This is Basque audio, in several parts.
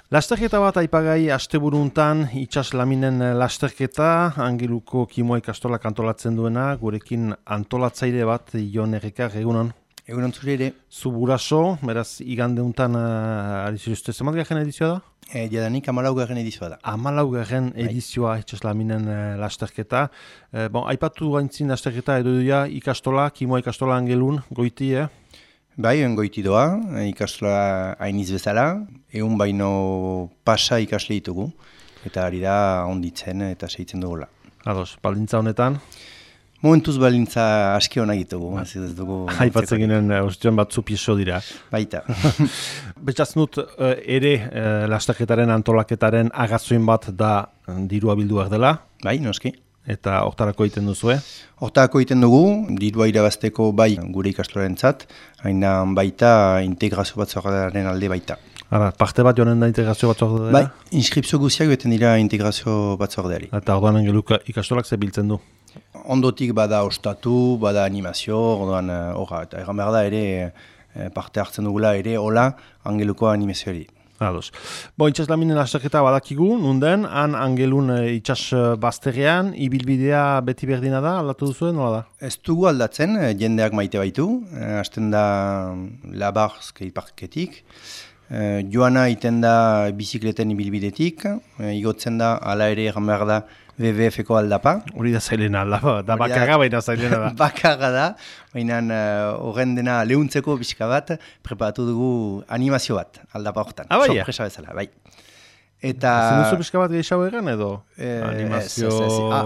Lasterketa bat aipagai asteburuntan itsas laminen lasterketa, Angeluko Kimoa ikastolak antolatzen duena, gurekin antolatzaile bat Jon Errekar, egunon. Egunon zure ere. Zu buraso, beraz igandeuntan ari ziruzte, zemat garen edizioa da? Jadanik 14. edizioa da. 14. edizioa itsas laminen lasterketa. Aipatu gaintzin lasterketa edo ikastola, Kimoa ikastola Angelun, goiti, Bai, goiti doa, ikastola hainiz bezala, egun baino pasa ikasle ditugu, eta ari da onditzen eta segitzen dugula. Ados, baldintza honetan? Momentuz baldintza aski honak ditugu. Aipatzen ginen ostioan batzu pieso dira. Baita. Betxatzen dut ere lasterketaren antolaketaren agazoin bat da dirua bilduak dela. Bai, noski. Eta hortarako egiten duzu, Hortarako egiten dugu, dirua irabazteko bai gure ikastorentzat, haina baita integrazio batzordearen alde baita. Ara, parte bat joanen da integrazio batzordearen? Bai, inskripzio guztiak beten dira integrazio batzordeari. Eta orduan Angeluko ikastolak ze biltzen du? Ondotik bada ostatu, bada animazio, orduan eta egan behar da ere parte hartzen dugula ere hola Angeluko animazioari. Ados. Itsas laminen lasterketa badakigu, nunden, han Angelun itsas bazterrean, ibilbidea beti berdina da, aldatu duzuen, nola da? Ez dugu aldatzen, jendeak maite baitu, hasten da Labar skateparketik, joana iten da bizikleten ibilbidetik, igotzen da, ala ere egan behar da, WWF-ko aldapa. Hori da zailena aldapa, da bakarra baina zailena da. Bakarra da, baina horren dena lehuntzeko pixka bat, preparatu dugu animazio bat, aldapa horretan. Sorpresa bezala, bai. Eta... Zenuzu pixka bat gehiago egan edo? Animazio...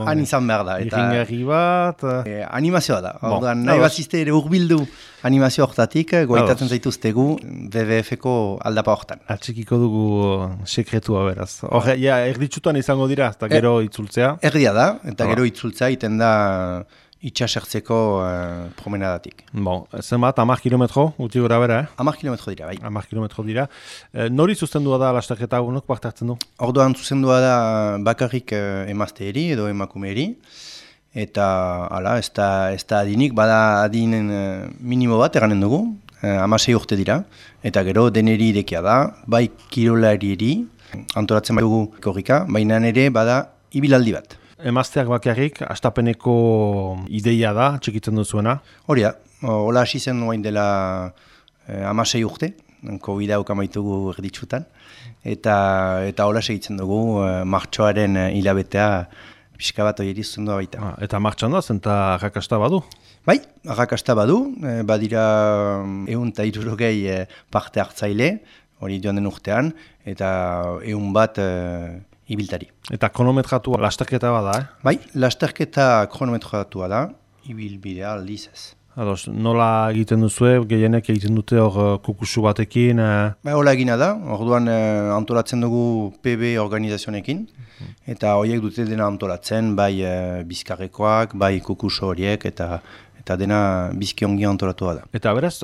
Han izan behar da. Iringarri bat... Animazioa da. Orduan, nahi bat zizte ere urbildu animazio horretatik, goitatzen zaituztegu WWF-ko aldapa horretan. Atxikiko dugu sekretua beraz. Hor, erditsutan izango dira, eta gero itzultzea. Erdia da, eta gero itzultzea iten da itxasertzeko promenadatik. Zenbat, 10 kilometro, uti gora bera, 10 kilometro dira, bai. 10 kilometro dira. Nori zuzendua da lasterketa honok parte hartzen du? Orduan zuzendua da bakarrik emazteeri edo emakumeeri. Eta, hala, ez da adinik, bada adinen minimo bat eganen dugu, 16 urte dira. Eta gero deneri idekia da, bai kirolarieri, antolatzen dugu korrika, baina ere bada ibilaldi bat. Emazteak bakarrik, astapeneko ideia da, txikitzen duzuena? Hori da, hola hasi zen oain dela 16 urte, COVID-a ukamaitugu erditsutan, eta hola segitzen dugu martxoaren hilabetea pixka bat hori zuzendua baita. Eta martxan da, zenta arrakasta badu? Bai, arrakasta badu, badira 160 parte hartzaile, hori joan den urtean, eta 100 bat ibiltari. Eta kronometratua lasterketa bada, Bai, lasterketa kronometratua da, ibilbidea aldiz ez. Ados, nola egiten duzue, gehienek egiten dute hor kukusu batekin? Bai, hola egina da, orduan antolatzen dugu PB organizazionekin, eta horiek dute dena antolatzen, bai bizkarrekoak, bai kukusu horiek, eta dena bizki ongi antolatua da. Eta beraz,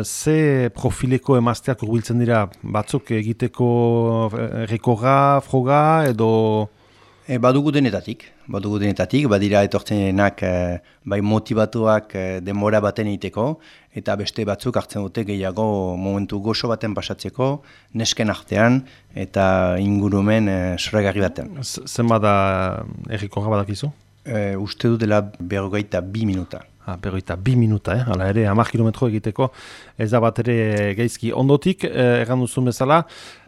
ze profileko emazteak urbiltzen dira, batzuk egiteko rekorra, froga, edo... Badugu denetatik, badira etortzenak bai motivatuak denbora baten egiteko, eta beste batzuk hartzen dute gehiago momentu goxo baten pasatzeko, nesken artean, eta ingurumen soragarri baten. Zenbat da errekorra badakizu? Uste du dela 42 minuta. 42 minuta, hala ere, 10 kilometro egiteko, ez da bat ere gaizki. Ondotik, egan duzun bezala,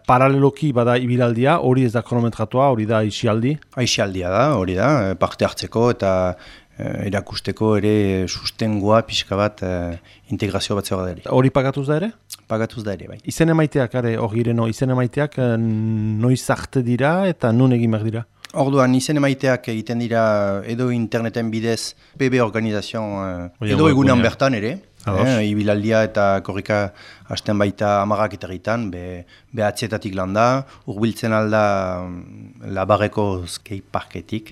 paraleloki bada ibilaldia, hori ez da kronometratua, hori da aisialdi? Aisialdia da, hori da, parte hartzeko eta erakusteko ere sustengoa pixka bat integrazio bat zegoa. Hori pagatuz da ere? Pagatuz da ere, bai. Izen emaiteak, hori izen emaiteak noiz arte dira eta nun egin behar dira? Orduan, izen emaiteak egiten dira edo interneten bidez PB organizazioan edo egunan bertan ere. Ibilaldia eta korrika hasten baita 10 eta egiten, behatzietatik landa, urbiltzen alda Labarreko skateparketik,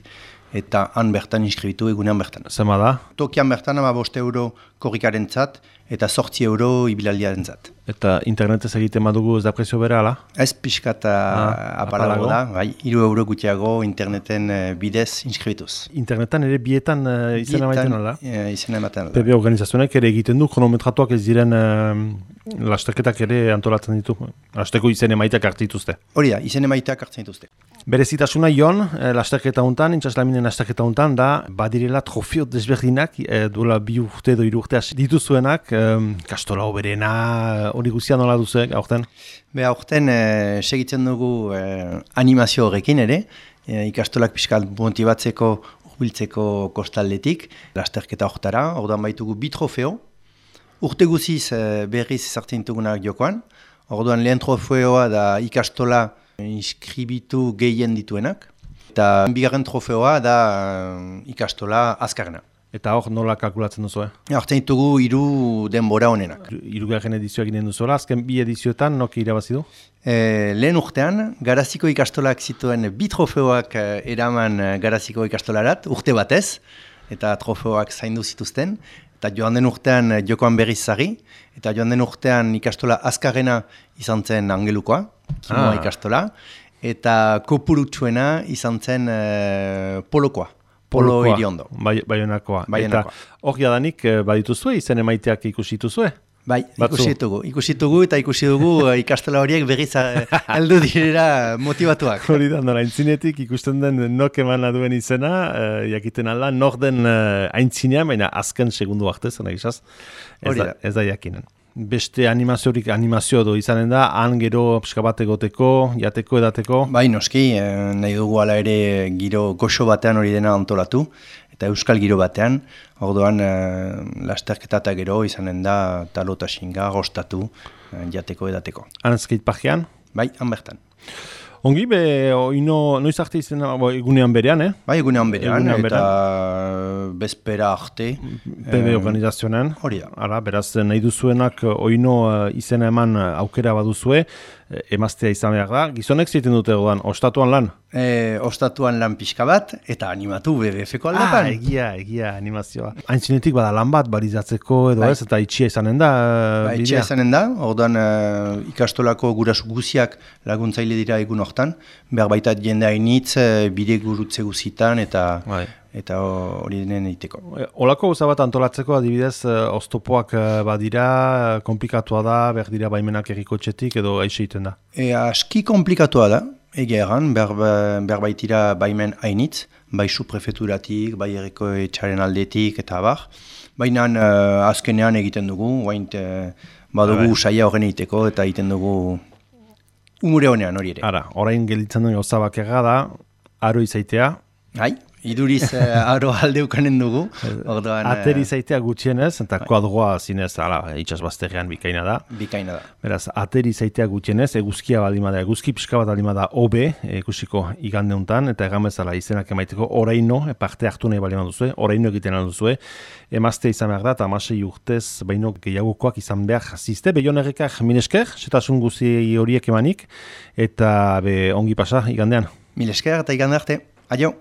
eta han bertan inskribitu egunean bertan. Zema da? Tokian bertan 5 € korrikarentzat eta 8 € ibilaldiarentzat. Eta internetez egiten badugu ez da prezio bera, ala? Ez pixkat apalago da, bai, 3 € gutxiago interneten bidez inskribituz. Internetan ere bietan izena maiten ala? Izena ematen ala. PB organizazionek ere egiten du, kronometratuak ez diren lasterketak ere antolatzen ditu. Lasteko izen emaitak hartu dituzte. Hori da, izen emaitak hartzen dituzte. Berezitasuna Jon, lasterketa hontan, Intsaslaminen lasterketa hontan, da badirela trofeo desberdinak, duela 2 urte edo 3 urte dituzuenak, kastola oberena, hori guztia nola duzuek, aurten? Aurten segitzen dugu animazio horrekin ere, ikastolak pixkat motibatzeko, urbiltzeko kostaldetik, lasterketa horretara, orduan baitugu 2 trofeo, urte guziz berriz ezartzen ditugunak jokoan, orduan lehen trofeoa da ikastola inskribitu gehien dituenak, eta bigarren trofeoa da ikastola azkarrena. Eta hor nola kalkulatzen duzu, Hartzen ditugu 3 denbora honenak. 3. edizioa ginen duzuela, azken 2 edizioetan noki irabazi du? Lehen urtean, Garaziko ikastolak zituen 2 trofeoak eraman Garaziko ikastolarat, urte batez, eta trofeoak zaindu zituzten, eta joan den urtean jokoan berriz zari, eta joan den urtean ikastola azkarrena izan zen Angelukoa, Kimoa ikastola, eta kopurutsuena izan zen Polokoa. Polo Iriondo. Baionakoa. Eta hor jadanik badituzue, izen emaiteak ikusi dituzue? Bai, ikusi dugu eta ikusi dugu ikastola horiek berriz heldu direra motivatuak. Hori da, nora aintzinetik ikusten den nok emana duen izena, jakiten alda, nor den aintzinean, baina azken segundu arte, zena gizaz, ez da jakinen. Beste animazio edo izanen da, han gero pixka bat egoteko, jateko, edateko? Bai, noski, nahi dugu ala ere giro goxo batean hori dena antolatu, eta euskal giro batean, orduan lasterketa eta gero izanen da talo eta xinga, gostatu, jateko, edateko. Han skateparkean? Bai, han bertan. Ongi, noiz arte izena egunean berean, Bai, egunean berean, eta bezpera arte. PB organizazionen. Hori da. Ara, beraz, nahi duzuenak oino izena eman aukera baduzue, emaztea izan behar da. Gizonek ziten dute godan, ostatuan lan? Ostatuan lan pixka bat, eta animatu BBF-ko aldetan. Egia, animazioa. Haintzinetik bada lan bat, barizatzeko edo ez, eta itxia izanen da. Itxia izanen da, orduan ikastolako gurasu guziak laguntzaile dira egun hortan, behar baita jende hainitz, bide gurutze guzitan, eta hori denen egiteko. Olako gauza bat antolatzeko, adibidez, oztopoak badira, komplikatua da, behar dira baimenak errikotxetik edo aixe egiten da? Aski komplikatua da. Egia egan, behar baitira baimen hainitz, bai subprefeturatik, bai erriko etxaren aldetik eta abar. Baina azkenean egiten dugu, badugu saia horren egiteko eta egiten dugu umure honean hori ere. Ara, orain gelditzen duen gauza bakarra da, aro izaitea. Iduriz aro aldeukanen dugu. Ateri zaitea gutxienez, eta kuadroa zinez, itxasbazterrean bikaina da. Bikaina da. Beraz, ateri zaitea gutxienez, eguzkia balimada, eguzki pixka bat balimada OB, ikusiko igande honetan, eta egamezala izenak emaiteko oraino, parte hartu nahi balima duzue, oraino egiten alduzue, emazte izan behar da, eta 16 urtez, baino gehiagokoak izan behar zizte, Beionerrekak milesker, setasun guzi horiek emanik, eta ongi pasa igandean. Milesker eta igande arte. Adio.